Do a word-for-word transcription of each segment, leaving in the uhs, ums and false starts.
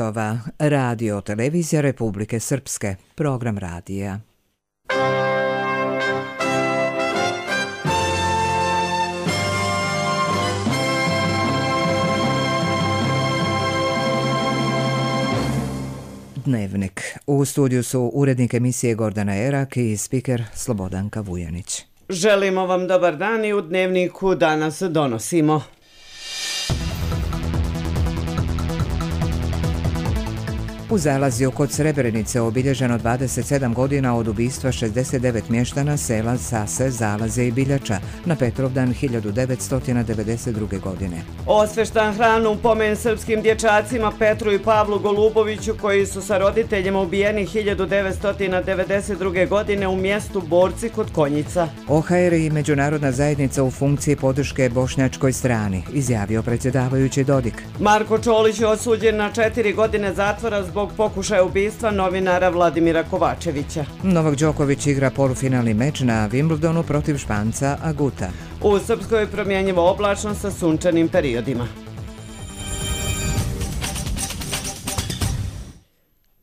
časova. Radio televizija Republike Srpske. Program radija. Dnevnik. U studiju su urednik emisije Gordana Erak i spiker Slobodanka Vujanić. Želimo vam dobar dan i u Dnevniku danas donosimo. U Zalazju kod Srebrenice obilježeno dvadeset sedam godina od ubistva šezdeset devet mještana sela Sase, Zalazje i Biljača na Petrovdan hiljadu devetsto devedeset druge. godine. Osveštan hranu u pomen srpskim dječacima Petru i Pavlu Goluboviću koji su sa roditeljima ubijeni hiljadu devetsto devedeset druge. godine u mjestu Borci kod Konjica. O H R i međunarodna zajednica u funkciji podrške bošnjačkoj strani, izjavio predsjedavajući Dodik. Marko Čolić je osuđen na četiri godine zatvora zbog zbog pokušaja ubistva novinara Vladimira Kovačevića. Novak Đoković igra polufinalni meč na Wimbledonu protiv Španca Aguta. U Srpskoj je promjenjivo oblačno sa sunčanim periodima.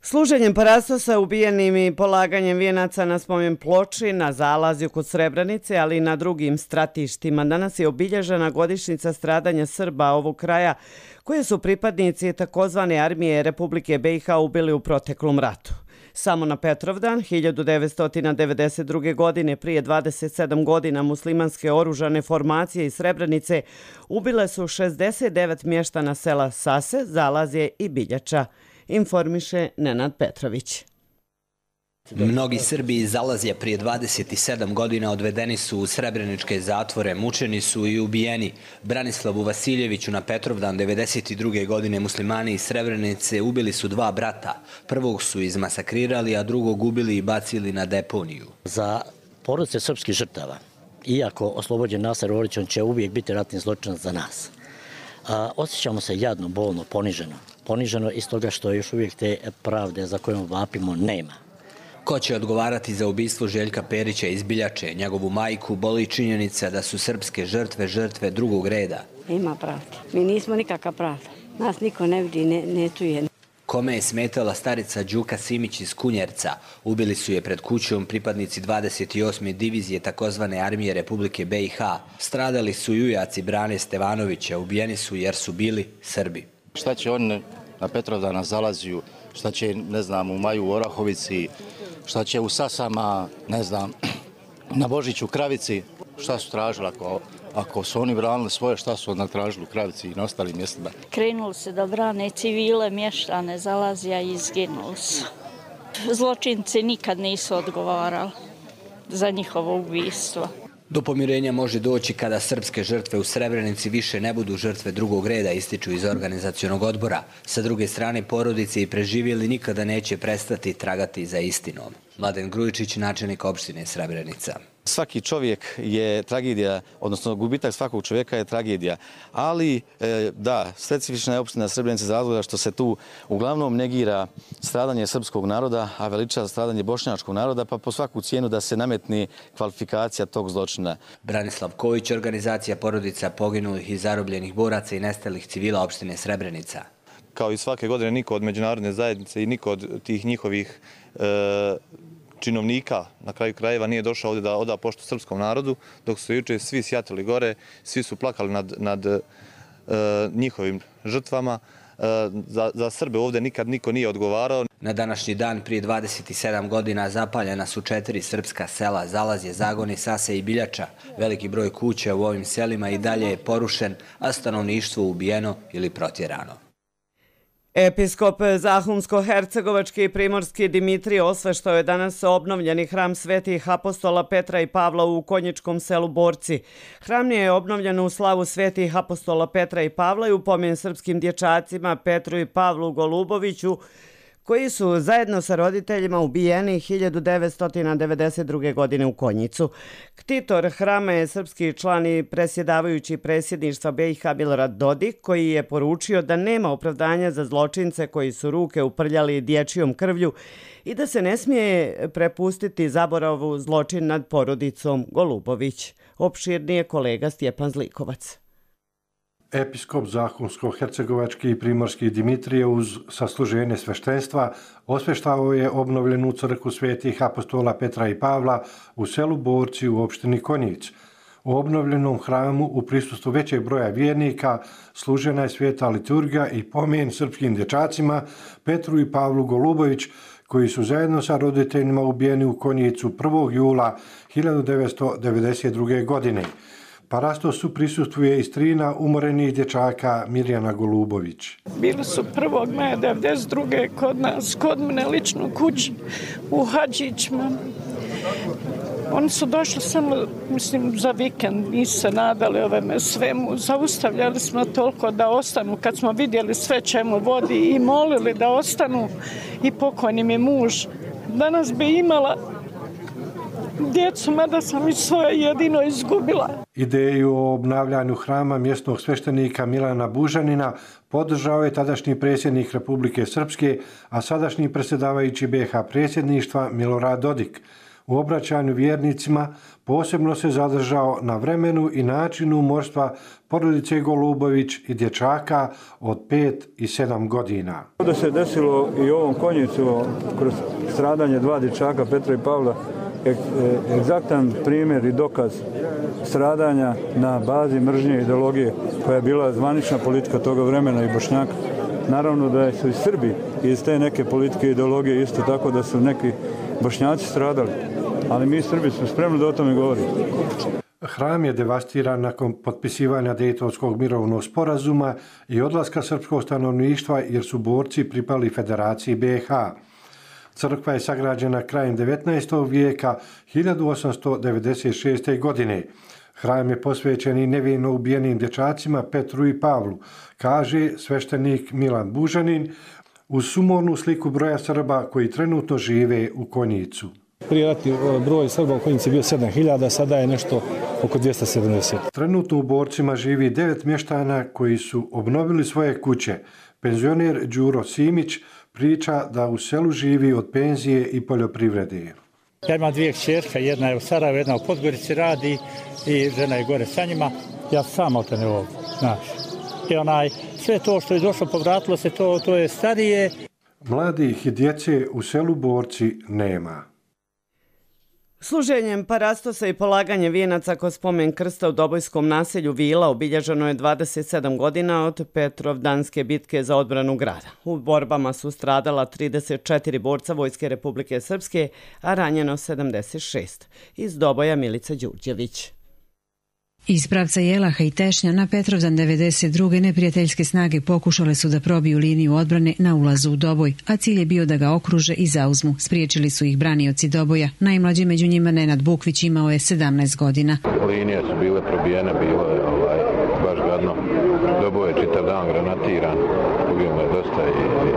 Služenjem parasta sa ubijenim i polaganjem vijenaca na spomen ploči na Zalazju kod Srebrenice, ali i na drugim stratištima. Danas je obilježena godišnjica stradanja Srba ovog kraja, koje su pripadnici takozvane armije Republike B i H ubili u proteklom ratu. Samo na Petrovdan hiljadu devetsto devedeset druge. godine, prije dvadeset sedam godina, muslimanske oružane formacije iz Srebrenice ubile su šezdeset devet mještana sela Sase, Zalazje i Biljača, informiše Nenad Petrović. Mnogi Srbi iz Zalazja prije dvadeset sedam godina odvedeni su u srebreničke zatvore, mučeni su i ubijeni. Branislavu Vasiljeviću na Petrovdan devedeset druge. godine muslimani iz Srebrenice ubili su dva brata. Prvog su izmasakrirali, a drugog ubili i bacili na deponiju. Za porodice srpskih žrtava, iako oslobođen Nasser Orić, on će uvijek biti ratni zločinac za nas. A, osjećamo se jadno, bolno, poniženo. Poniženo iz toga što još uvijek te pravde za kojom vapimo nema. Ko će odgovarati za ubistvo Željka Perića iz Biljače? Njegovu majku boli činjenica da su srpske žrtve žrtve drugog reda. Ima pravda. Mi nismo nikakva pravda. Nas niko ne vidi, ne, ne čuje. Kome je smetala starica Đuka Simić iz Kunjerca? Ubili su je pred kućom pripadnici dvadeset osme divizije takozvane armije Republike B i H. Stradali su jujaci Brane Stevanovića, ubijeni su jer su bili Srbi. Šta će on na Petrovdan na Zalazju, šta će, ne znam, u maju u Orahovici, šta će u Sasama, ne znam, na Božiću Kravici, šta su tražili ako, ako su oni branili svoje, šta su onda tražili u Kravici i na ostalim mjestima. Krenuli se da brane civile, mještane Zalazja i izginuli su. Zločinci nikad nisu odgovarali za njihovo ubistvo. Do pomirenja može doći kada srpske žrtve u Srebrenici više ne budu žrtve drugog reda, ističu iz organizacionog odbora. Sa druge strane, porodice i preživjeli nikada neće prestati tragati za istinom. Mladen Grujičić, načelnik opštine Srebrenica. Svaki čovjek je tragedija, odnosno gubitak svakog čovjeka je tragedija. Ali, da, specifična je opština Srebrenica za razloga što se tu uglavnom negira stradanje srpskog naroda, a veliča stradanje bošnjačkog naroda, pa po svaku cijenu da se nametni kvalifikacija tog zločina. Branislav Ković, organizacija porodica poginulih i zarobljenih boraca i nestalih civila opštine Srebrenica. Kao i svake godine, niko od međunarodne zajednice i niko od tih njihovih e, činovnika na kraju krajeva nije došao ovdje da oda poštu srpskom narodu, dok su juče svi sjatili gore, svi su plakali nad, nad e, njihovim žrtvama. E, za, za Srbe ovdje nikad niko nije odgovarao. Na današnji dan prije dvadeset sedam godina zapaljena su četiri srpska sela, Zalazje, Zagoni, Sase i Biljača. Veliki broj kuća u ovim selima i dalje je porušen, a stanovništvo ubijeno ili protjerano. Episkop Zahumsko-Hercegovački i Primorski Dimitrije osveštao je danas obnovljeni hram svetih apostola Petra i Pavla u konjičkom selu Borci. Hram je obnovljen u slavu svetih apostola Petra i Pavla i u pomen srpskim dječacima Petru i Pavlu Goluboviću, koji su zajedno sa roditeljima ubijeni hiljadu devetsto devedeset druge. godine u Konjicu. Ktitor hrama je srpski član i presjedavajući predsjedništva B i H Milorad Dodik, koji je poručio da nema opravdanja za zločince koji su ruke uprljali dječjom krvlju i da se ne smije prepustiti zaboravu zločin nad porodicom Golubović. Opširnije kolega Stjepan Zlikovac. Episkop Zahumsko-hercegovački i primorski Dimitrije uz sasluženje sveštenstva osveštavao je obnovljenu crkvu svetih apostola Petra i Pavla u selu Borci u opštini Konjic. U obnovljenom hramu u prisustvu većeg broja vjernika služena je sveta liturgija i pomen srpskim dječacima Petru i Pavlu Golubović, koji su zajedno sa roditeljima ubijeni u Konjicu prvog jula hiljadu devetsto devedeset druge. godine. Parastosu prisustvuje i strina umorenih dječaka Mirjana Golubović. Bili su prvog maja devedeset druge kod nas, kod mene lično kući u Hadžićima. Oni su došli samo, mislim, za vikend, nisu se nadali ovome svemu. Zaustavljali smo toliko da ostanu kad smo vidjeli sve čemu vodi i molili da ostanu i pokojni mi muž. Danas bi imala djecu, mada sam i svoje jedino izgubila. Ideju o obnavljanju hrama mjesnog sveštenika Milana Bužanina podržao je tadašnji predsjednik Republike Srpske, a sadašnji predsjedavajući be ha predsjedništva Milorad Dodik. U obraćanju vjernicima posebno se zadržao na vremenu i načinu umorstva porodice Golubović i dječaka od pet i sedam godina. Da se desilo i u ovom Konjicu kroz stradanje dva dječaka Petra i Pavla, egzaktan primjer i dokaz stradanja na bazi mržnje i ideologije koja je bila zvanična politika toga vremena i Bošnjaka. Naravno da su i Srbi iz te neke politike i ideologije isto tako da su neki Bošnjaci stradali, ali mi Srbi smo spremni da o tome govorimo. Hram je devastiran nakon potpisivanja Dejtonskog mirovnog sporazuma i odlaska srpskog stanovništva jer su borci pripali Federaciji be ha. Crkva je sagrađena krajem devetnaestog vijeka hiljadu osamsto devedeset šeste. godine. Hram je posvećen i nevino ubijenim dječacima Petru i Pavlu, kaže sveštenik Milan Bužanin, uz sumornu sliku broja Srba koji trenutno žive u Konjicu. Prije rati broj Srba u Konjici je bio sedam hiljada, sada je nešto oko dvjesto sedamdeset. Trenutno u Borcima živi devet mještana koji su obnovili svoje kuće. Penzioner Đuro Simić priča da u selu živi od penzije i poljoprivrede. Ja imam dvije kćerke, jedna je u Sarajevu, jedna u Podgorici radi i žena je gore sa njima. Ja sam otene ovdje, znaš. I onaj, sve to što je došlo, povratilo se, to, to je starije. Mladih i djece u selu Borci nema. Služenjem parastosa i polaganje vijenaca kod spomen krsta u Dobojskom naselju Vila obilježeno je dvadeset sedam godina od Petrovdanske bitke za odbranu grada. U borbama su stradala trideset četiri borca Vojske Republike Srpske, a ranjeno sedamdeset šest. Iz Doboja Milica Đurđević. Iz pravca Jelaha i Tešnja na Petrovdan devedeset druge. neprijateljske snage pokušale su da probiju liniju odbrane na ulazu u Doboj, a cilj je bio da ga okruže i zauzmu. Spriječili su ih branioci Doboja. Najmlađi među njima Nenad Bukvić imao je sedamnaest godina. Linije su bile probijene, bilo je ovaj, baš gadno. Doboj je čitav dan granatiran, ubijemo je dosta i, i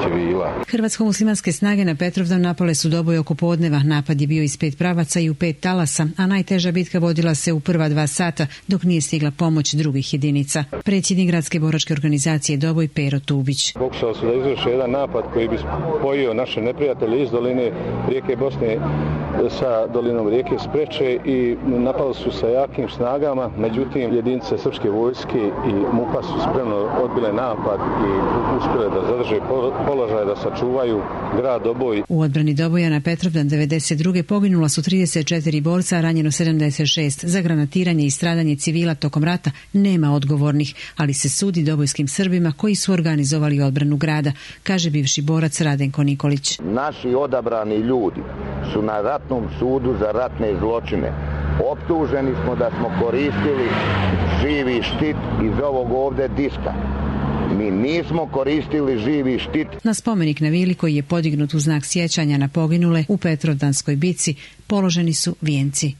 civila. Hrvatsko-muslimanske snage na Petrovdan napale su Doboj oko podneva. Napad je bio iz pet pravaca i u pet talasa, a najteža bitka vodila se u prva dva sata, dok nije stigla pomoć drugih jedinica. Predsjednik gradske boračke organizacije Doboj Pero Tubić. Pokušali su da izvrše jedan napad koji bi spojio naše neprijatelje iz doline rijeke Bosne sa dolinom rijeke Spreče i napali su sa jakim snagama, međutim jedinice srpske vojske i MUP-a su spremno odbile napad i uspjele da zadrže položaj, da sačuvaju grad Doboj. U odbrani Doboja na Petrovdan devedeset druge. poginula su trideset četiri borca, a ranjeno sedamdeset šest. Za granatiranje i stradanje civila tokom rata nema odgovornih, ali se sudi dobojskim Srbima koji su organizovali odbranu grada, kaže bivši borac Radenko Nikolić. Naši odabrani ljudi su na ratnom sudu za ratne zločine. Optuženi smo da smo koristili živi štit iz ovog ovdje diska. Mi nismo koristili živi štit. Na spomenik na Vili koji je podignut u znak sjećanja na poginule u Petrovdanskoj bitci položeni su vijenci.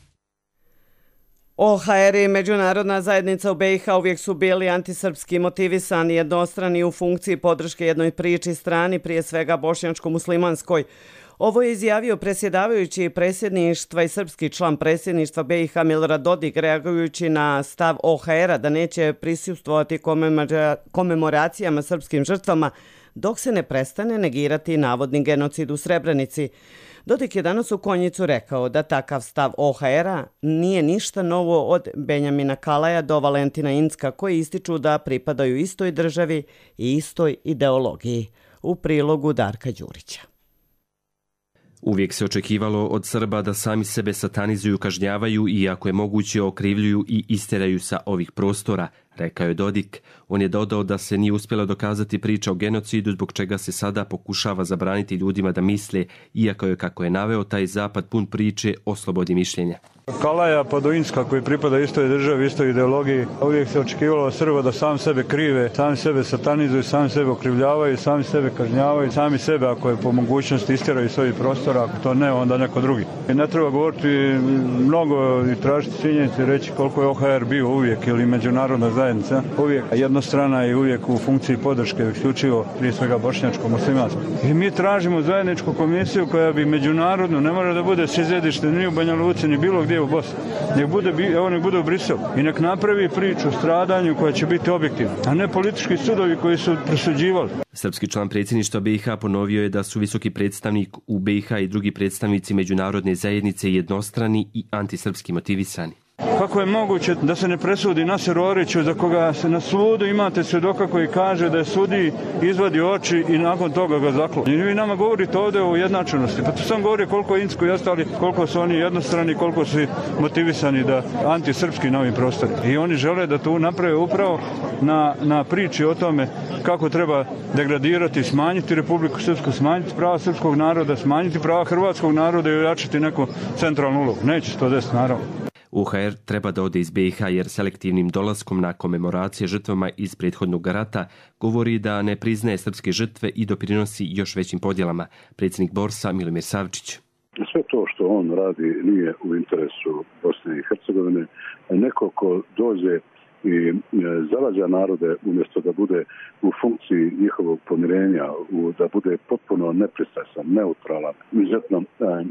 O ha er i međunarodna zajednica u be i ha uvijek su bili antisrpski motivisani, jednostrani u funkciji podrške jednoj priči strani, prije svega bošnjačko-muslimanskoj. Ovo je izjavio predsjedavajući predsjedništva i srpski član predsjedništva be i ha Milorad Dodik, reagujući na stav o ha era da neće prisustvovati komemoracijama srpskim žrtvama dok se ne prestane negirati navodni genocid u Srebrenici. Dodik je danas u Konjicu rekao da takav stav O H R-a nije ništa novo od Benjamina Kalaja do Valentina Incka, koji ističu da pripadaju istoj državi i istoj ideologiji. U prilogu Darka Đurića. Uvijek se očekivalo od Srba da sami sebe satanizuju, kažnjavaju i ako je moguće okrivljuju i isteraju sa ovih prostora, rekao je Dodik. On je dodao da se nije uspjela dokazati priča o genocidu, zbog čega se sada pokušava zabraniti ljudima da misle, iako je, kako je naveo, taj zapad pun priče o slobodi mišljenja. Kalaja pa do Incka, koji pripada istoj državi, istoj ideologiji, uvijek se očekivalo od Srba da sam sebe krive, sami sebe satanizuju, sami sebe okrivljavaju, sami sebe kažnjavaju, sami sebe ako je po mogućnosti istjeraju iz svojih prostora, ako to ne, onda neko drugi. I ne treba govoriti mnogo i tražiti činjenice, reći koliko je O H R bio uvijek ili međunarodna zajednica, uvijek jednostrana i uvijek u funkciji podrške, isključivo prije svega bošnjačko-muslimanskom. I mi tražimo zajedničku komisiju koja bi međunarodno, ne mora da bude sjedište ni u Banja Luci, ni bilo gdje u Bosni. Nek bude, evo nek bude u Briselu i nek napravi priču o stradanju koja će biti objektivna, a ne politički sudovi koji su presuđivali. Srpski član predsjedništva B i H ponovio je da su visoki predstavnik u B i H i drugi predstavnici međunarodne zajednice jednostrani i antisrpski motivisani. Kako je moguće da se ne presudi Naseru Oriću, za koga se na sudu imate svjedoka koji kaže da je sudi izvadi oči i nakon toga ga zaklo. I vi nama govorite ovdje o jednačenosti. Pa to sam govori koliko je Incko i ostali, koliko su oni jednostrani, koliko su motivisani da antisrpski na ovim prostorima. I oni žele da to naprave upravo na, na priči o tome kako treba degradirati, smanjiti Republiku Srpsku, smanjiti prava srpskog naroda, smanjiti prava hrvatskog naroda i ojačati neku centralnu ulogu. Neće se to desiti, naravno. O H R treba da ode iz B i H jer selektivnim dolaskom na komemoracije žrtvama iz prethodnog rata govori da ne priznaje srpske žrtve i doprinosi još većim podjelama. Predsjednik Borsa Milomir Savčić. Sve to što on radi nije u interesu Bosne i Hercegovine. Neko ko dođe i zavađa narode umjesto da bude u funkciji njihovog pomirenja, da bude potpuno nepristrasan, neutralan, izuzetno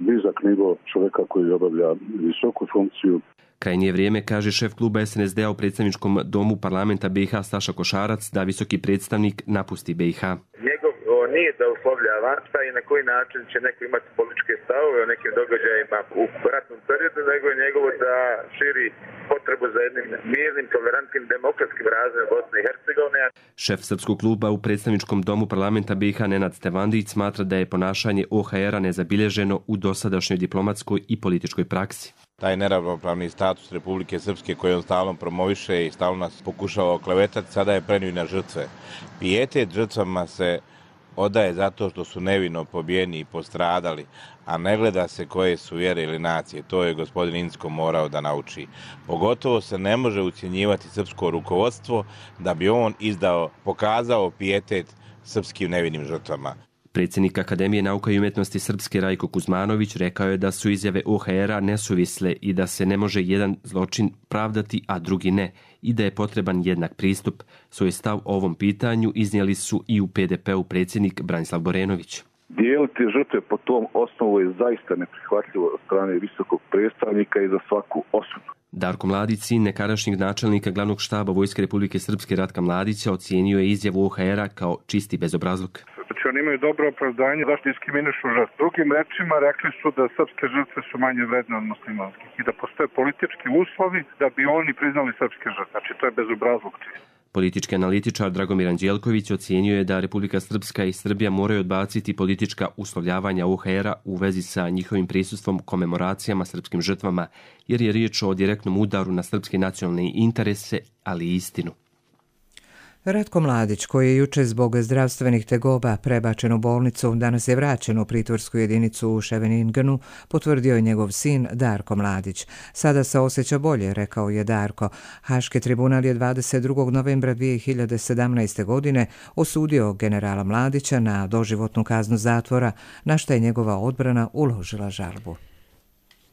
nizak nivo čovjeka koji obavlja visoku funkciju. Krajnje je vrijeme, kaže šef kluba S N S D-a u predstavničkom domu parlamenta B i H Staša Košarac, da visoki predstavnik napusti B i H. Njegovo nije da uslovljava šta i na koji način će neko imati političke stavove o nekim događajima u ratnom periodu, nego je njegovo da širi potrebu za jednim mirnim, tolerantnim, demokratskim razvojem Bosne i Hercegovine. Šef srpskog kluba u predstavničkom domu parlamenta B i H Nenad Stevandić smatra da je ponašanje O H R-a nezabilježeno u dosadašnjoj diplomatskoj i političkoj praksi. Taj neravnopravni status Republike Srpske koji on stalno promoviše i stalno nas pokušava oklevetati, sada je prenio na žrtve. Pijetet žrtvama se odaje zato što su nevino pobijeni i postradali, a ne gleda se koje su vjere ili nacije. To je gospodin Incko morao da nauči. Pogotovo se ne može ucjenjivati srpsko rukovodstvo da bi on izdao, pokazao pijetet srpskim nevinim žrtvama. Predsjednik Akademije nauka i umjetnosti Srpske Rajko Kuzmanović rekao je da su izjave O H R-a nesuvisle i da se ne može jedan zločin pravdati, a drugi ne, i da je potreban jednak pristup. Svoj stav o ovom pitanju iznijeli su i u P D P-u predsjednik Branislav Borenović. Dijeliti žrtve po tom osnovu je zaista neprihvatljivo od strane visokog predstavnika i za svaku osudu. Darko Mladić, sin nekadašnjeg načelnika glavnog štaba Vojske Republike Srpske Ratka Mladića, ocijenio je izjavu O H R-a kao čisti bezobrazluk. Znači oni imaju dobro opravdanje zašto diskriminišu žrtve. Drugim rečima rekli su da srpske žrtve su manje vredne od muslimanskih i da postoje politički uslovi da bi oni priznali srpske žrtve. Znači to je bezobrazluk čisto. Politički analitičar Dragomir Anđelković ocijenio je da Republika Srpska i Srbija moraju odbaciti politička uslovljavanja O H R-a u vezi sa njihovim prisustvom komemoracijama srpskim žrtvama, jer je riječ o direktnom udaru na srpske nacionalne interese, ali i istinu. Ratko Mladić, koji je juče zbog zdravstvenih tegoba prebačen u bolnicu, danas je vraćen u pritvorsku jedinicu u Scheveningenu, potvrdio je njegov sin Darko Mladić. Sada se osjeća bolje, rekao je Darko. Haški tribunal je dvadeset drugog novembra dvije hiljade sedamnaeste. godine osudio generala Mladića na doživotnu kaznu zatvora, na što je njegova odbrana uložila žalbu.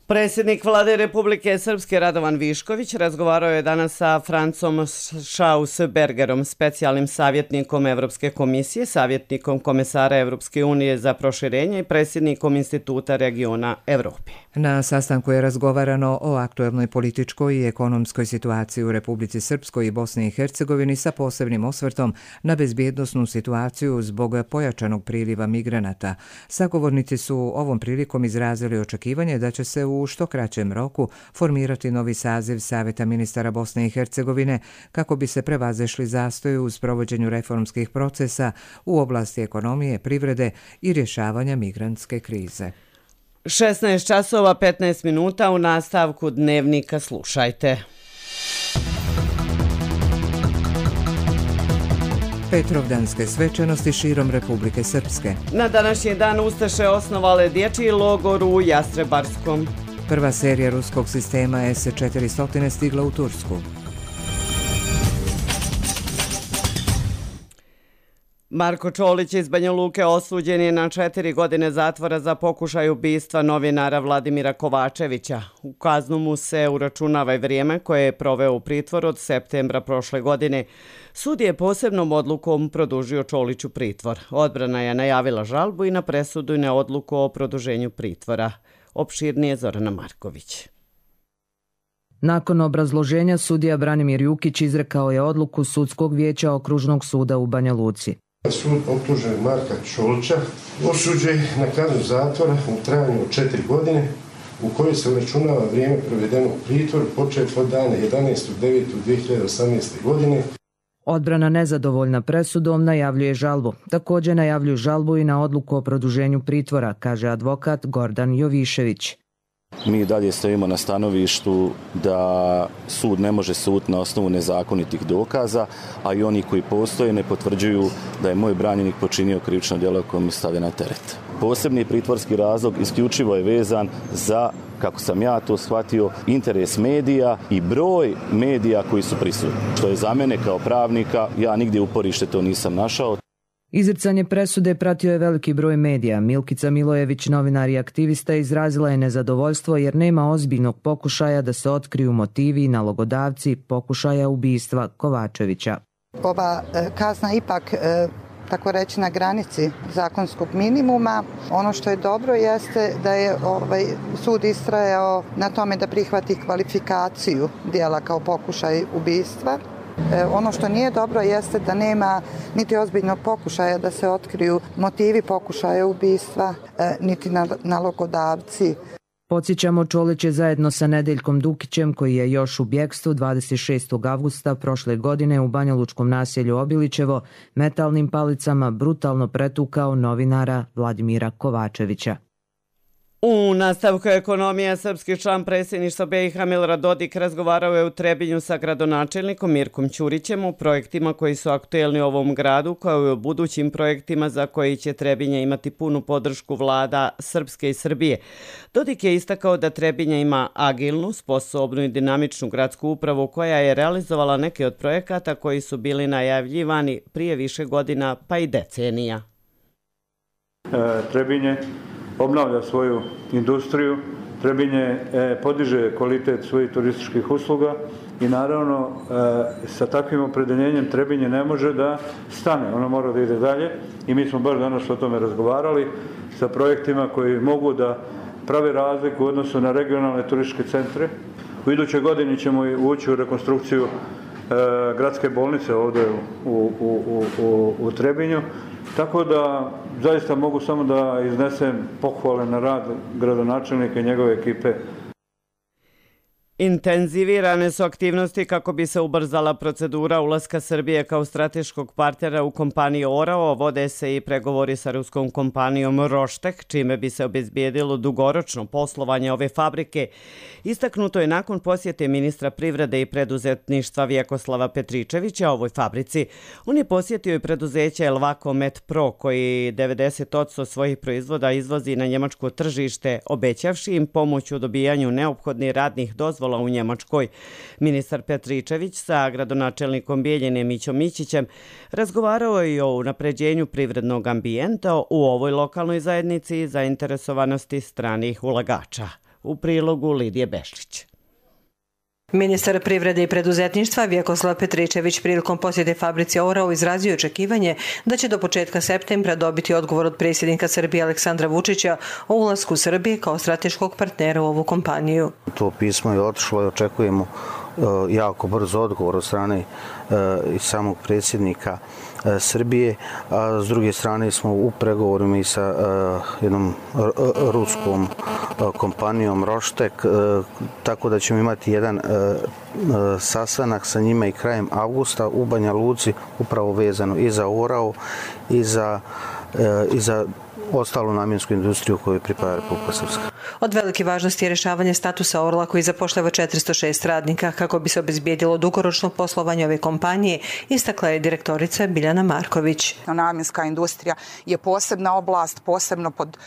Predsjednik Vlade Republike Srpske Radovan Višković razgovarao je danas sa Francom Schausbergerom, specijalnim savjetnikom Evropske komisije, savjetnikom komesara Evropske unije za proširenje i predsjednikom Instituta regiona Evrope. Na sastanku je razgovarano o aktuelnoj političkoj i ekonomskoj situaciji u Republici Srpskoj i Bosni i Hercegovini sa posebnim osvrtom na bezbjednosnu situaciju zbog pojačanog priliva migranata. Sagovornici su ovom prilikom izrazili očekivanje da će se u što kraćem roku formirati novi saziv Saveta ministara Bosne i Hercegovine kako bi se prevazešli zastoji u sprovođenju reformskih procesa u oblasti ekonomije, privrede i rješavanja migrantske krize. šesnaest časova petnaest minuta u nastavku dnevnika slušajte. Petrovdanske svečanosti širom Republike Srpske. Na današnji dan Ustaše osnovale dječji logor u Jastrebarskom. Prva serija ruskog sistema S četiristo stigla u Tursku. Marko Čolić iz Banja Luke osuđen je na četiri godine zatvora za pokušaj ubistva novinara Vladimira Kovačevića. U kaznu mu se uračunava i vrijeme koje je proveo u pritvoru od septembra prošle godine. Sud je posebnom odlukom produžio Čoliću pritvor. Odbrana je najavila žalbu i na presudu i na odluku o produženju pritvora. Opširnije Zorana Marković. Nakon obrazloženja sudija Branimir Jukić izrekao je odluku Sudskog vijeća Okružnog suda u Banja Luci. Sud optužuje Marka Čolića osuđuje na kaznu zatvora u trajanju od četiri godine u kojoj se uračunava vrijeme provedeno u pritvoru počet od dana jedanaestog devetog dvije hiljade osamnaeste. godine. Odbrana nezadovoljna presudom najavljuje žalbu. Također najavljuju žalbu i na odluku o produženju pritvora, kaže advokat Gordan Jovišević. Mi dalje stojimo na stanovištu da sud ne može suditi na osnovu nezakonitih dokaza, a i oni koji postoje ne potvrđuju da je moj branjenik počinio krivično djelo koje mi stavlja na teret. Posebni pritvorski razlog isključivo je vezan za, kako sam ja to shvatio, interes medija i broj medija koji su prisutni. Što je za mene kao pravnika, ja nigdje uporište to nisam našao. Izricanje presude pratio je veliki broj medija. Milkica Milojević, novinar i aktivista, izrazila je nezadovoljstvo jer nema ozbiljnog pokušaja da se otkriju motivi i nalogodavci pokušaja ubistva Kovačevića. Ova kazna ipak, tako reći, na granici zakonskog minimuma. Ono što je dobro jeste da je ovaj sud istrajao na tome da prihvati kvalifikaciju djela kao pokušaj ubistva. Ono što nije dobro jeste da nema niti ozbiljnog pokušaja da se otkriju motivi pokušaja ubistva, niti nalogodavci. Podsjećamo, Čolić je zajedno sa Nedeljkom Dukićem, koji je još u bjegstvu, dvadeset šestog avgusta prošle godine u banjalučkom naselju Obilićevo metalnim palicama brutalno pretukao novinara Vladimira Kovačevića. U nastavku ekonomije, srpski član predsjedništva B i H Milorad Dodik razgovarao je u Trebinju sa gradonačelnikom Mirkom Ćurićem o projektima koji su aktuelni u ovom gradu, kao i o budućim projektima za koji će Trebinje imati punu podršku vlada Srpske i Srbije. Dodik je istakao da Trebinje ima agilnu, sposobnu i dinamičnu gradsku upravu koja je realizovala neke od projekata koji su bili najavljivani prije više godina pa i decenija. E, Trebinje obnavlja svoju industriju, Trebinje podiže kvalitet svojih turističkih usluga i naravno sa takvim opredeljenjem Trebinje ne može da stane, ono mora da ide dalje i mi smo baš danas o tome razgovarali sa projektima koji mogu da prave razliku u odnosu na regionalne turističke centre. U idućoj godini ćemo ući u rekonstrukciju gradske bolnice ovdje u, u, u, u, u Trebinju. Tako da zaista mogu samo da iznesem pohvale na rad gradonačelnika i njegove ekipe. Intenzivirane su aktivnosti kako bi se ubrzala procedura ulaska Srbije kao strateškog partnera u kompaniju Orao. Vode se i pregovori sa ruskom kompanijom Roštek, čime bi se obezbijedilo dugoročno poslovanje ove fabrike. Istaknuto je nakon posjete ministra privrede i preduzetništva Vjekoslava Petričevića ovoj fabrici. On je posjetio i preduzeće Elvako Met Pro, koji devedeset posto svojih proizvoda izvozi na njemačko tržište, obećavši im pomoć u dobijanju neophodnih radnih dozvola u Njemačkoj. Ministar Petričević sa gradonačelnikom Bijeljine Mićom Mićićem razgovarao je i o unapređenju privrednog ambijenta u ovoj lokalnoj zajednici i zainteresovanosti stranih ulagača. U prilogu Lidije Bešlić. Ministar privrede i preduzetništva Vjekoslav Petričević prilikom posjete fabrici Orao izrazio očekivanje da će do početka septembra dobiti odgovor od predsjednika Srbije Aleksandra Vučića o ulasku Srbije kao strateškog partnera u ovu kompaniju. To pismo je otišlo i očekujemo jako brzo odgovor od strane i samog predsjednika Srbije, a s druge strane smo u pregovorima i sa jednom ruskom kompanijom Roštek, tako da ćemo imati jedan sastanak sa njima i krajem avgusta u Banja Luci, upravo vezano i za Orao i za, i za ostalu namjensku industriju koju pripada Republika Srpska. Od velike važnosti je rješavanje statusa Orla koji zapošljava četiristo šest radnika kako bi se obezbijedilo dugoročno poslovanje ove kompanije, istakla je direktorica Biljana Marković. Namjenska industrija je posebna oblast, posebno pod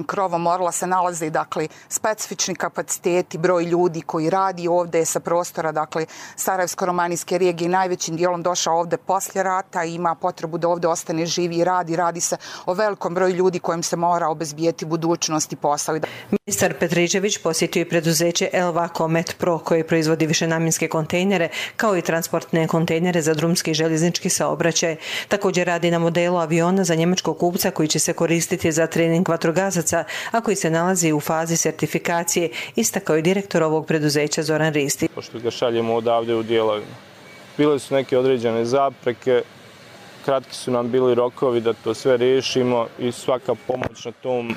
krovom Orla se nalaze dakle specifični kapaciteti, broj ljudi koji radi ovdje sa prostora dakle Sarajevsko-romanijske regije najvećim dijelom došao ovdje poslije rata i ima potrebu da ovdje ostane živi i radi. Radi se o velikom broju ljudi kojim se mora obezbijeti budućnost i posao. Ministar Petričević posjetio i preduzeće Elvaco Met Pro koje proizvodi višenamjenske kontejnere kao i transportne kontejnere za drumski i željeznički saobraćaj. Također radi na modelu aviona za njemačkog kupca koji će se koristiti za trening vatrogasaca, a koji se nalazi u fazi sertifikacije, istakao je direktor ovog preduzeća Zoran Ristić. Pošto ga šaljemo odavde u dijelovima. Bile su neke određene zapreke, kratki su nam bili rokovi da to sve riješimo i svaka pomoć na tom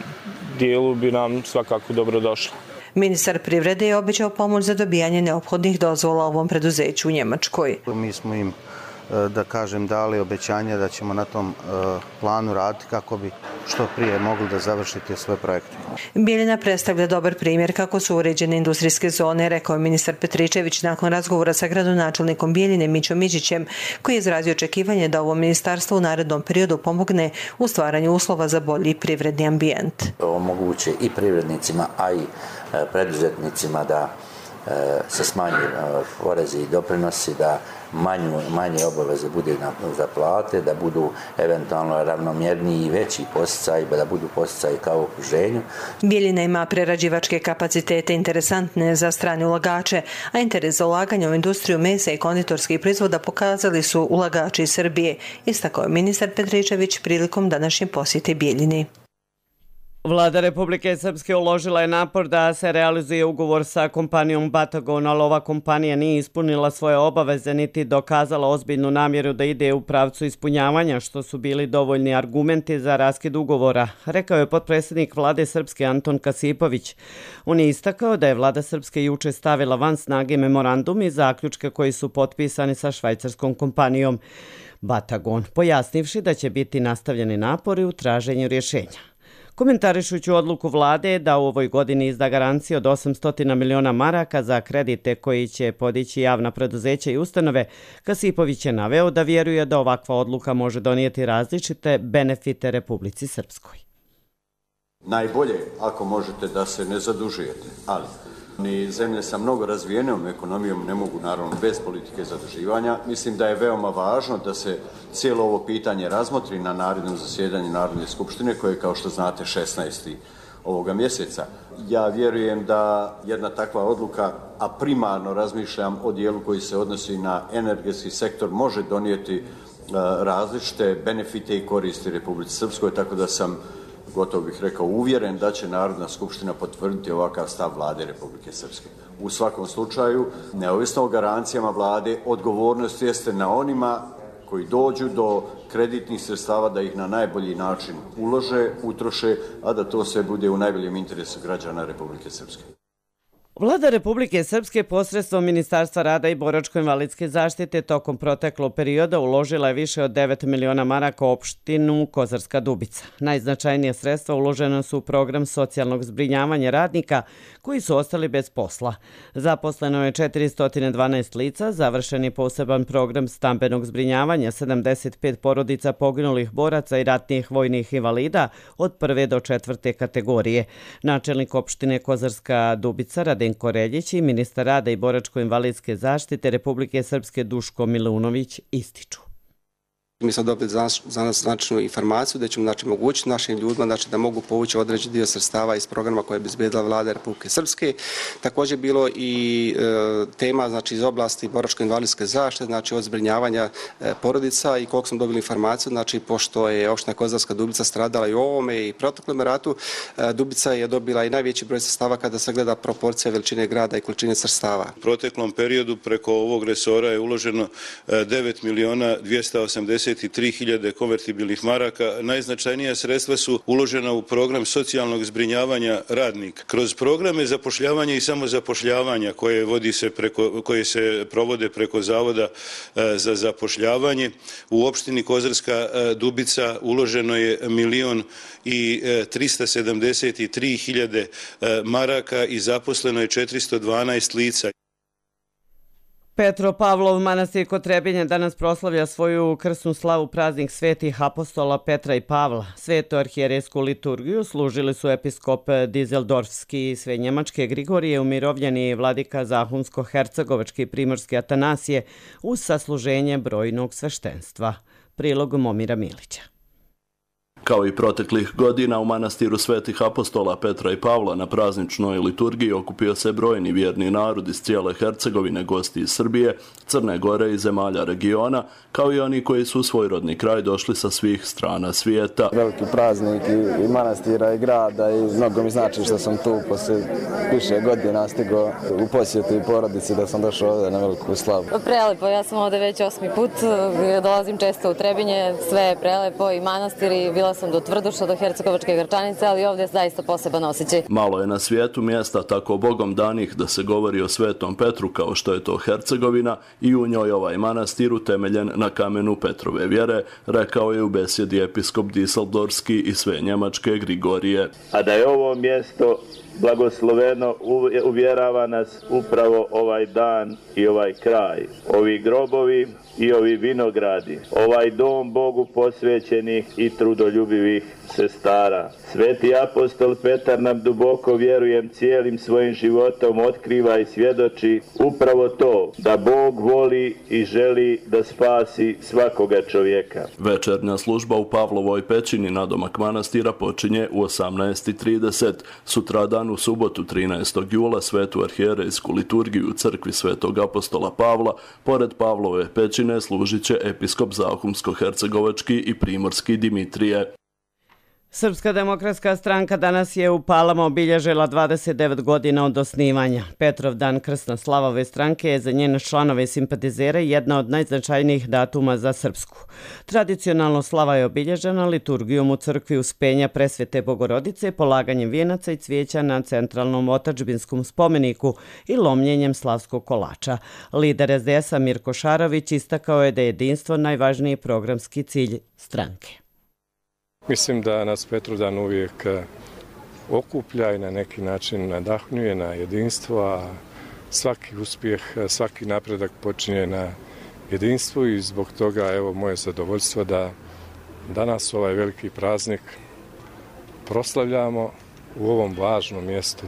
dijelu bi nam svakako dobro došla. Ministar privrede je obećao pomoć za dobijanje neophodnih dozvola ovom preduzeću u Njemačkoj. Mi smo im, da kažem, dali obećanje da ćemo na tom planu raditi kako bi što prije mogli da završite sve projekte. Bijeljina predstavlja dobar primjer kako su uređene industrijske zone, rekao je ministar Petričević nakon razgovora sa gradonačelnikom Bijeljine Mićom Miđićem, koji je izrazio očekivanje da ovo ministarstvo u narednom periodu pomogne u stvaranju uslova za bolji privredni ambijent. Omoguće i privrednicima, a i preduzetnicima da se smanji porezi i doprinosi, da manju, manje obaveze bude na, za plate, da budu eventualno ravnomjerniji i veći posticaji, da budu posticaji kao u okruženju. Bijeljina ima prerađivačke kapacitete interesantne za strane ulagače, a interes za ulaganje u industriju mesa i konditorskih proizvoda pokazali su ulagači iz Srbije, istakao je ministar Petričević prilikom današnje posjete Bijeljini. Vlada Republike Srpske uložila je napor da se realizuje ugovor sa kompanijom Batagon, ali ova kompanija nije ispunila svoje obaveze niti dokazala ozbiljnu namjeru da ide u pravcu ispunjavanja, što su bili dovoljni argumenti za raskid ugovora, rekao je potpredsjednik Vlade Srpske Anton Kasipović. On je istakao da je Vlada Srpske juče stavila van snage memorandum i zaključke koji su potpisani sa švajcarskom kompanijom Batagon, pojasnivši da će biti nastavljeni napori u traženju rješenja. Komentarišući odluku vlade da u ovoj godini izda garancije od osamsto miliona maraka za kredite koji će podići javna preduzeća i ustanove, Kasipović je naveo da vjeruje da ovakva odluka može donijeti različite benefite Republici Srpskoj. Najbolje ako možete da se ne zadužujete, ali ni zemlje sa mnogo razvijenom ekonomijom ne mogu naravno bez politike zaduživanja. Mislim da je veoma važno da se cijelo ovo pitanje razmotri na narednom zasjedanju Narodne skupštine koje je, kao što znate, šesnaestog ovoga mjeseca. Ja vjerujem da jedna takva odluka, a primarno razmišljam o dijelu koji se odnosi na energetski sektor, može donijeti različite benefite i koristi Republici Srpskoj, tako da sam, gotovo bih rekao, uvjeren da će Narodna skupština potvrditi ovakav stav Vlade Republike Srpske. U svakom slučaju, neovisno o garancijama Vlade, odgovornost jeste na onima koji dođu do kreditnih sredstava da ih na najbolji način ulože, utroše, a da to sve bude u najboljem interesu građana Republike Srpske. Vlada Republike Srpske posredstvom Ministarstva rada i boračko-invalidske zaštite tokom proteklog perioda uložila je više od devet miliona maraka u opštinu Kozarska Dubica. Najznačajnije sredstva uložena su u program socijalnog zbrinjavanja radnika koji su ostali bez posla. Zaposleno je četiristo dvanaest lica, završen je poseban program stambenog zbrinjavanja sedamdeset pet porodica poginulih boraca i ratnih vojnih invalida od prve do četvrte kategorije. Načelnik opštine Kozarska Dubica Radenko Reljić i ministar rada i boračko-invalidske zaštite Republike Srpske Duško Milunović ističu. Mi smo dobili za nas, za nas značajnu informaciju da ćemo znači, mogućiti našim ljudima znači, da mogu povući određeni dio sredstava iz programa koje je obezbedila vlada Republike Srpske. Također je bilo i e, tema znači, iz oblasti boračko-invalidske zaštite, znači od zbrinjavanja e, porodica i koliko smo dobili informaciju, znači pošto je opština Kozarska Dubica stradala i u ovome i proteklom ratu, e, Dubica je dobila i najveći broj sredstava kada se gleda proporcija veličine grada i količine sredstava. U proteklom periodu preko ovog resora je uloženo devet miliona dvjesto osamdeset tri hiljade konvertibilnih maraka. Najznačajnija sredstva su uložena u program socijalnog zbrinjavanja radnika. Kroz programe zapošljavanja i samozapošljavanja koje, vodi se preko, koje se provode preko Zavoda za zapošljavanje, u opštini Kozarska Dubica uloženo je milion i trista sedamdeset tri hiljade maraka i zaposleno je četiristo dvanaest lica. Petropavlov manastir kod Trebinja danas proslavlja svoju krsnu slavu praznik svetih apostola Petra i Pavla. Svetu arhijerejsku liturgiju služili su episkop Dizeldorfski i sve njemačke Grigorije, umirovljeni vladika Zahumsko-hercegovački i primorski Atanasije uz sasluženje brojnog sveštenstva. Prilog Momira Milića. Kao i proteklih godina u manastiru svetih apostola Petra i Pavla na prazničnoj liturgiji okupio se brojni vjerni narod iz cijele Hercegovine, gosti iz Srbije, Crne Gore i zemalja regiona, kao i oni koji su u svoj rodni kraj došli sa svih strana svijeta. Veliki praznik i, i manastira i grada i mnogo mi znači što sam tu poslije više godina stigao u posjetu i porodici da sam došao ovdje na veliku slavu. Prelepo, ja sam ovdje već osmi put, dolazim često u Trebinje, sve je prelepo i manastir i bila sam do Tvrduša, do Hercegovačke Grčanice, ali ovdje je zaista poseban osjećaj. Malo je na svijetu mjesta tako bogom danih da se govori o Svetom Petru kao što je to Hercegovina i u njoj ovaj manastir utemeljen na kamenu Petrove vjere, rekao je u besjedi episkop Dizeldorfski i sve njemačke Grigorije. A da je ovo mjesto blagosloveno uvjerava nas upravo ovaj dan i ovaj kraj, ovi grobovi i ovi vinogradi, ovaj dom Bogu posvećenih i trudoljubivih sestara. Sveti apostol Petar nam duboko, vjerujem, cijelim svojim životom otkriva i svjedoči upravo to, da Bog voli i želi da spasi svakoga čovjeka. Večernja služba u Pavlovoj pećini nadomak manastira počinje u osamnaest i trideset. Sutradan u subotu trinaestog jula svetu arhijerejsku liturgiju u crkvi svetog apostola Pavla, pored Pavlove pećine služit će episkop Zahumsko-hercegovački i primorski Dimitrije. Srpska demokratska stranka danas je u Palama obilježila dvadeset devet godina od osnivanja. Petrov dan, krsna slava ove stranke, je za njene članove i simpatizere jedna od najznačajnijih datuma za Srpsku. Tradicionalno slava je obilježena liturgijom u crkvi Uspenja Presvete Bogorodice, polaganjem vijenaca i cvijeća na centralnom otadžbinskom spomeniku i lomljenjem slavskog kolača. Lider es de es-a Mirko Šarović istakao je da je jedinstvo najvažniji programski cilj stranke. Mislim da nas Petrovdan uvijek okuplja i na neki način nadahnjuje na jedinstvo, a svaki uspjeh, svaki napredak počinje na jedinstvu i zbog toga evo moje zadovoljstvo da danas ovaj veliki praznik proslavljamo u ovom važnom mjestu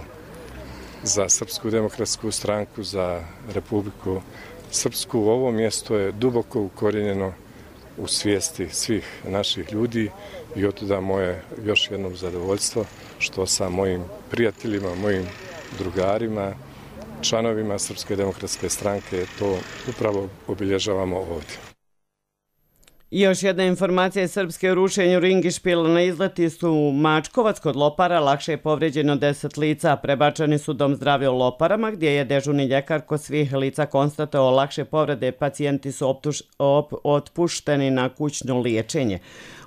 za Srpsku demokratsku stranku, za Republiku Srpsku. Ovo mjesto je duboko ukorijenjeno u svijesti svih naših ljudi i otuda moje još jednom zadovoljstvo što sa mojim prijateljima, mojim drugarima, članovima Srpske demokratske stranke to upravo obilježavamo ovdje. Još jedna informacija iz Srpske o rušenju Ringišpila na izletištu Mačkovac kod Lopara. Lakše je povrijeđeno deset lica. Prebačeni su dom zdravlja u Loparama gdje je dežurni ljekar kod svih lica konstatovao lakše povrede. Pacijenti su optuš, op, otpušteni na kućno liječenje.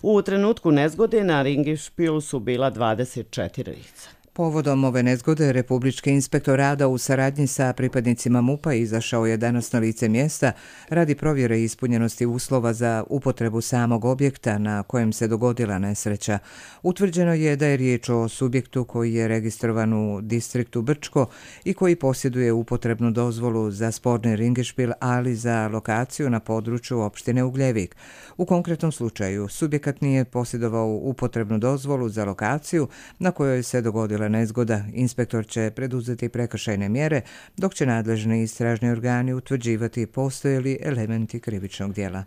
U trenutku nezgode na Ringišpilu su bila dvadeset četiri lica. Povodom ove nezgode, Republički inspektor rada u saradnji sa pripadnicima MUP-a izašao je danas na lice mjesta radi provjere ispunjenosti uslova za upotrebu samog objekta na kojem se dogodila nesreća. Utvrđeno je da je riječ o subjektu koji je registrovan u distriktu Brčko i koji posjeduje upotrebnu dozvolu za sporni ringišpil, ali za lokaciju na području opštine Ugljevik. U konkretnom slučaju, subjekat nije posjedovao upotrebnu dozvolu za lokaciju na kojoj se dogodila nezgoda. Inspektor će preduzeti prekršajne mjere, dok će nadležni istražni organi utvrđivati postoje li elementi krivičnog djela.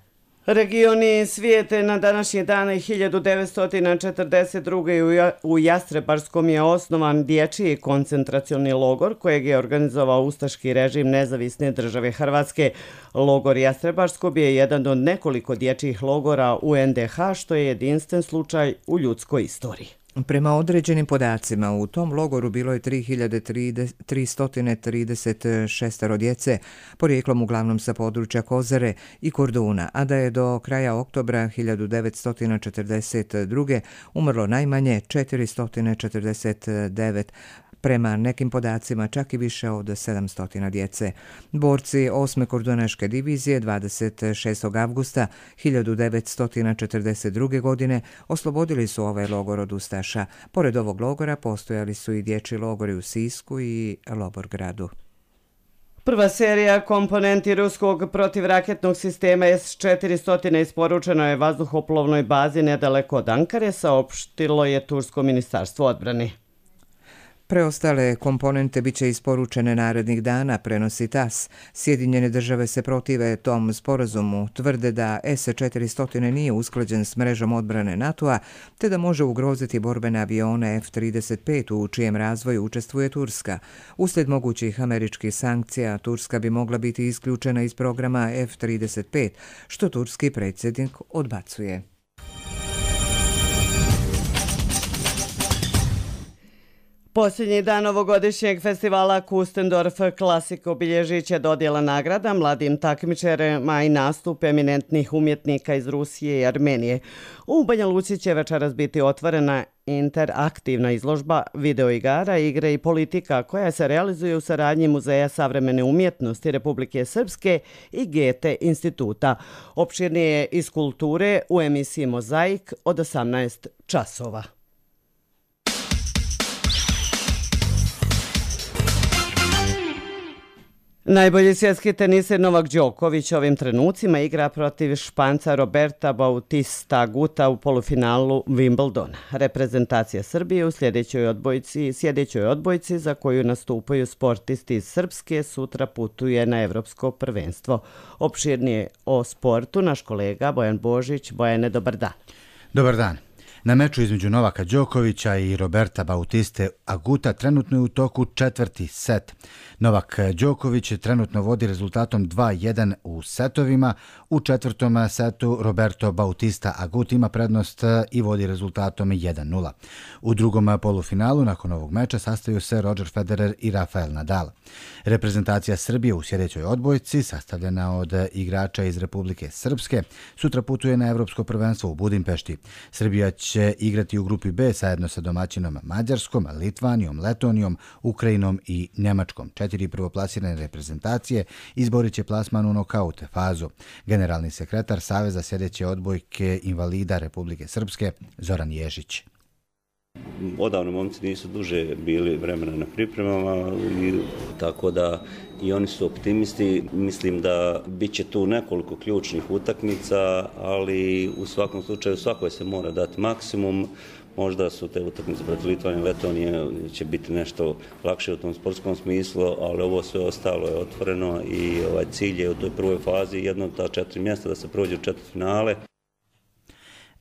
Regioni svijete na današnji dan hiljadu devetsto četrdeset druge. u Jastrebarskom je osnovan dječji koncentracioni logor kojeg je organizovao ustaški režim Nezavisne države Hrvatske. Logor Jastrebarsko je jedan od nekoliko dječjih logora u en de ha što je jedinstven slučaj u ljudskoj istoriji. Prema određenim podacima, u tom logoru bilo je tri hiljade tristo trideset šest djece, porijeklom uglavnom sa područja Kozare i Korduna, a da je do kraja oktobra hiljadu devetsto četrdeset druge. umrlo najmanje četiristo četrdeset devet, prema nekim podacima čak i više od sedamsto djece. Borci osme kordunaške divizije dvadeset šestog avgusta hiljadu devetsto četrdeset druge. godine oslobodili su ovaj logor od ustaša. Pored ovog logora postojali su i dječji logori u Sisku i Loborgradu. Prva serija komponenti ruskog protivraketnog sistema es četiristo isporučeno je vazduhoplovnoj bazi nedaleko od Ankare, saopštilo je Tursko ministarstvo odbrane. Preostale komponente biće isporučene narednih dana, prenosi tas. Sjedinjene države se protive tom sporazumu, tvrde da es četiristo nije usklađen s mrežom odbrane NATO-a, te da može ugroziti borbene avione ef trideset pet u čijem razvoju učestvuje Turska. Uslijed mogućih američkih sankcija, Turska bi mogla biti isključena iz programa ef trideset pet, što turski predsjednik odbacuje. Posljednji dan ovogodišnjeg festivala Kustendorf Klasik obilježit će dodjela nagrada mladim takmičarima i nastup eminentnih umjetnika iz Rusije i Armenije. U Banja Luci će večeras biti otvorena interaktivna izložba videoigara, igre i politika koja se realizuje u saradnji Muzeja savremene umjetnosti Republike Srpske i Gete instituta. Opširnije iz kulture u emisiji Mozaik od osamnaest časova. Najbolji svjetski teniser Novak Đoković ovim trenucima igra protiv Španca Roberta Bautista Aguta u polufinalu Wimbledona. Reprezentacija Srbije u sljedećoj odbojci, sljedećoj odbojci za koju nastupaju sportisti iz Srpske sutra putuje na Evropsko prvenstvo. Opširnije o sportu naš kolega Bojan Božić. Bojane, dobar dan. Dobar dan. Na meču između Novaka Đokovića i Roberta Bautiste Aguta trenutno je u toku četvrti set. Novak Đoković trenutno vodi rezultatom dva jedan u setovima. U četvrtom setu Roberto Bautista Agut ima prednost i vodi rezultatom jedan nula. U drugom polufinalu nakon ovog meča sastaju se Roger Federer i Rafael Nadal. Reprezentacija Srbije u sljedećoj odbojci, sastavljena od igrača iz Republike Srpske, sutra putuje na Evropsko prvenstvo u Budimpešti. Srbija će igrati u grupi B zajedno sa domaćinom Mađarskom, Litvanijom, Letonijom, Ukrajinom i Njemačkom. Četiri prvoplasirane reprezentacije izborit će plasman u nokaut fazu. Generalni sekretar Saveza sljedeće odbojke invalida Republike Srpske Zoran Ježić. Odavno momci nisu duže bili vremena na pripremama, i tako da i oni su optimisti. Mislim da bit će tu nekoliko ključnih utakmica, ali u svakom slučaju svakoj se mora dati maksimum. Možda su te utakmice protiv Litvanije i Letonije će biti nešto lakše u tom sportskom smislu, ali ovo sve ostalo je otvoreno i ovaj cilj je u toj prvoj fazi jedno od ta četiri mjesta da se prođe u četvrtfinale.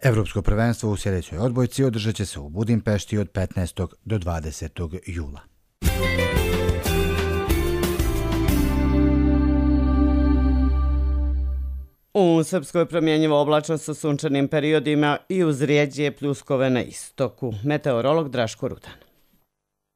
Evropsko prvenstvo u sljedećoj odbojci održat će se u Budimpešti od petnaestog do dvadesetog jula. U Srpskoj promjenjivo oblačno sa sunčanim periodima i uz rijeđe pljuskove na istoku. Meteorolog Draško Rudan.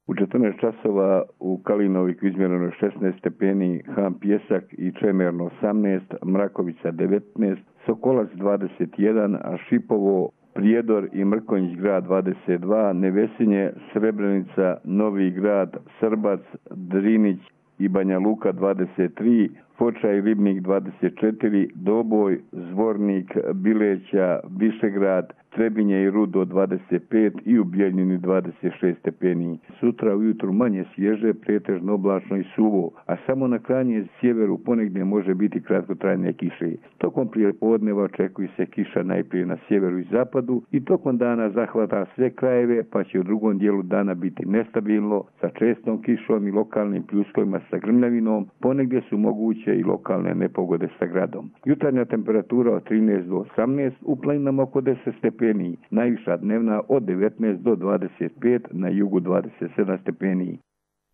U četrnaest časova u Kalinoviku izmjereno šesnaest stepeni, Ham Pjesak i Čemerno osamnaest, Mrakovica devetnaest, Sokolac dvadeset jedan, a Šipovo, Prijedor i Mrkonjić grad dvadeset dva, Nevesinje, Srebrenica, Novi grad, Srbac, Drinić i Banja Luka dvadeset tri, Foča i Ribnik dvadeset četiri, Doboj, Zvornik, Bileća, Višegrad, Trebinje i Rudo dvadeset pet i u Bijeljini dvadeset šest stepeni. Sutra ujutru manje svježe, pretežno oblačno i suvo, a samo na krajnjem sjeveru ponegdje može biti kratkotrajne kiše. Tokom prijepodneva očekuje se kiša najprije na sjeveru i zapadu i tokom dana zahvata sve krajeve, pa će u drugom dijelu dana biti nestabilno sa čestom kišom i lokalnim pljuskovima sa grmljavinom, ponegdje su moguće i lokalne nepogode sa gradom. Jutarnja temperatura od trinaest do osamnaest, u planinama oko deset stepeni, najviša dnevna od devetnaest do dvadeset pet, na jugu dvadeset sedam stepeni.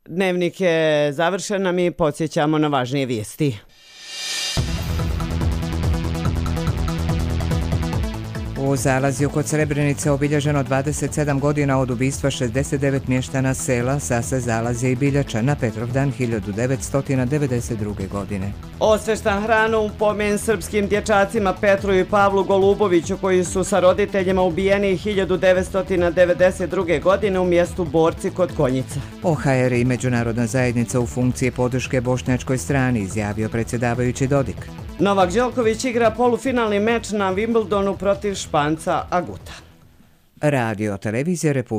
Dnevnik je završen, a mi podsjećamo na važnije vijesti. U Zalazju kod Srebrenice obilježeno dvadeset sedam godina od ubistva šezdeset devet mještana sela Sase, Zalazje i Biljača na Petrovdan hiljadu devetsto devedeset druge. godine. Osveštan hranu u pomen srpskim dječacima Petru i Pavlu Goluboviću koji su sa roditeljima ubijeni hiljadu devetsto devedeset druge. godine u mjestu Borci kod Konjica. O H R i međunarodna zajednica u funkciji podrške bošnjačkoj strani, izjavio predsjedavajući Dodik. Novak Đoković igra polufinalni meč na Wimbledonu protiv Španca Aguta. Radio televizija Republike